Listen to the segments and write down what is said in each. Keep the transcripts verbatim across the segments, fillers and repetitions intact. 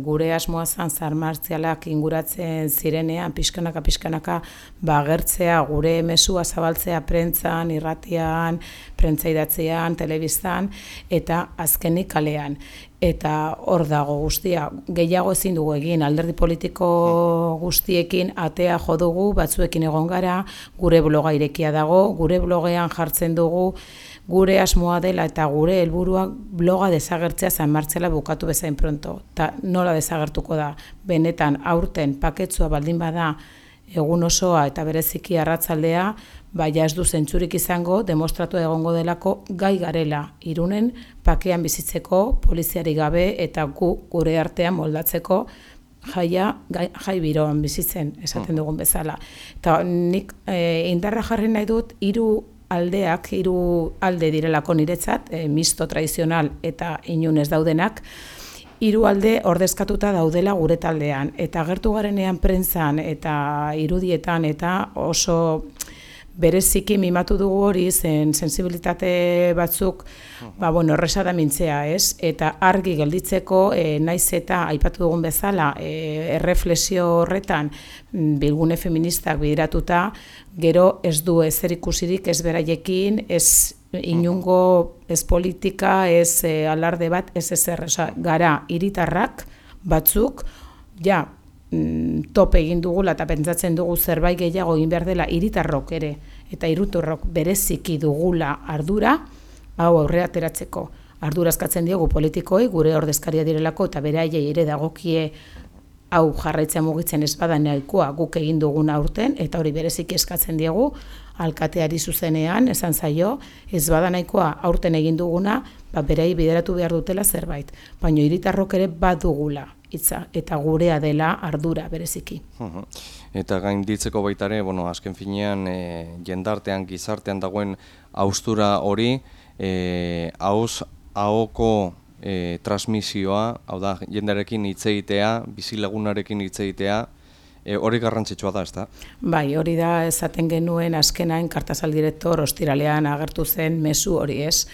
Gure asmoa zan zar martzialak inguratzen zirenean, pixkanaka, pixkanaka, bagertzea, gure mesua zabaltzea prentzan, irratian, prentza idatzean, telebistan, eta azkenik kalean. Eta hor dago guztia, gehiago ezin dugu egin, alderdi politiko guztiekin atea jo dugu, batzuekin egon gara, gure bloga irekia dago, gure blogean jartzen dugu, gure asmoa dela eta gure helburua bloga desagertzea San Martzela bukatu bezain pronto. Ta nola desagertuko da? Benetan aurten paketsua baldin bada egun osoa eta bereziki arratsaldea, baina ez du zentzurik izango, demostratu egongo delako gai garela Irunen pakean bizitzeko, poliziari gabe eta gu gure artean moldatzeko jaia, gai, jai biroan bizitzen, esaten dugun bezala. Eta nik e, indarra jarri nahi dut, hiru aldeak, hiru alde direlako niretzat, e, misto tradizional eta inunez daudenak, hiru alde ordezkatuta daudela gure taldean. Eta agertu garenean prentzan eta irudietan eta oso bereziki mimatu dugu hori, zen sensibilitate batzuk, ba, bueno, erresa da mintzea, ez? Eta argi gelditzeko, e, naiz eta aipatu dugun bezala, e, erreflexio horretan bilgune feministak bideratuta, gero ez du ezer ikusirik ez beraiekin, ez inungo, ez politika, ez e, alarde bat, ez ezer, oza, gara hiritarrak batzuk, ja, top egin dugula eta pentsatzen dugu zerbait gehiago egin behar dela hiritarrok ere eta hirutarrok bereziki dugula ardura, hau aurrera ateratzeko. Ardura eskatzen diogu politikoei, gure ordezkaria direlako eta beraiei ere dagokie hau jarraitzea mugitzen ez bada nahikoa guk egin duguna aurten, eta hori bereziki eskatzen diegu alkateari zuzenean, esan zaio, ez bada nahikoa aurten egin duguna, ba, berei bideratu behar dutela zerbait. Baina hiritarrok ere badugula hitza, eta gurea dela ardura bereziki. Eta gainditzeko baita ere, bueno, azken finean, e, jendartean, gizartean dagoen haustura hori, e, hauz, ahoko e, transmisioa, hau da, jendarekin hitz egitea, bizilagunarekin hitz egitea, e, hori garrantzitsua da, ezta? Bai, hori da esaten genuen azkenain Kartasal direktor ostiralean agertu zen mezu hori, ez?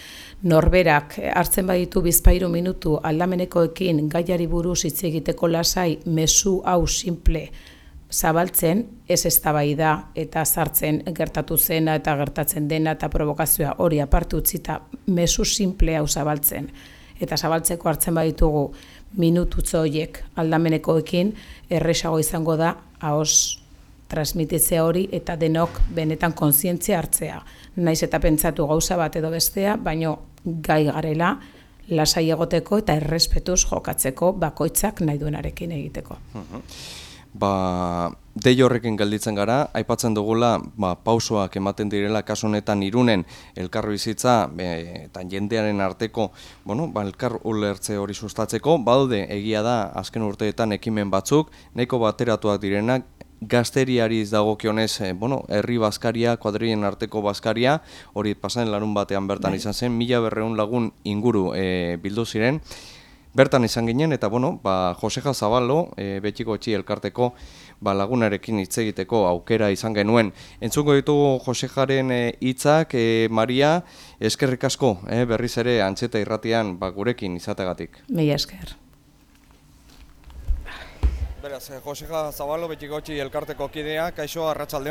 Norberak hartzen baditu bizpahiru minutu aldamenekoekin gaiari buruz hitz egiteko lasai mezu hau simple zabaltzen, ez eztabaida eta sartzen gertatu zena eta gertatzen dena eta provokazioa hori aparte utzita mezu simple hau zabaltzen. Eta zabaltzeko hartzen baditugu minututxo horiek aldamenekoekin, erresago izango da ahoz transmititzea hori eta denok benetan kontzientzia hartzea. Naiz eta pentsatu gauza bat edo bestea, baino gai garela lasai egoteko eta errespetuz jokatzeko bakoitzak nahi duenarekin egiteko. Ba, dei horrekin gelditzen gara, aipatzen dugula, ba, pausoak ematen direla kasu honetan Irunen elkarbizitza e, eta jendearen arteko, bueno, ba, elkar ulertze hori sustatzeko, badaude egia da azken urteetan ekimen batzuk, nahiko bateratuak direnak, gazteriari dagokionez, eh, bueno, herri bazkaria, kuadrilen arteko bazkaria, hori pasaden larun batean bertan izan zen, mila berrehun lagun inguru e, bildu ziren, bertan izan ginen, eta bueno, ba, Joseja Zabalo, e, Betxiko Etxi elkarteko ba, lagunarekin hitz egiteko aukera izan genuen. Entzuko ditugu Josejaren hitzak, e, Maria, eskerrik asko, e, berriz ere Antxeta irratian ba, gurekin izategatik. Mila esker. Beraz, Joseja Zabalo, Betxiko Etxi elkarteko kidea, kaixo, arratsaldeon.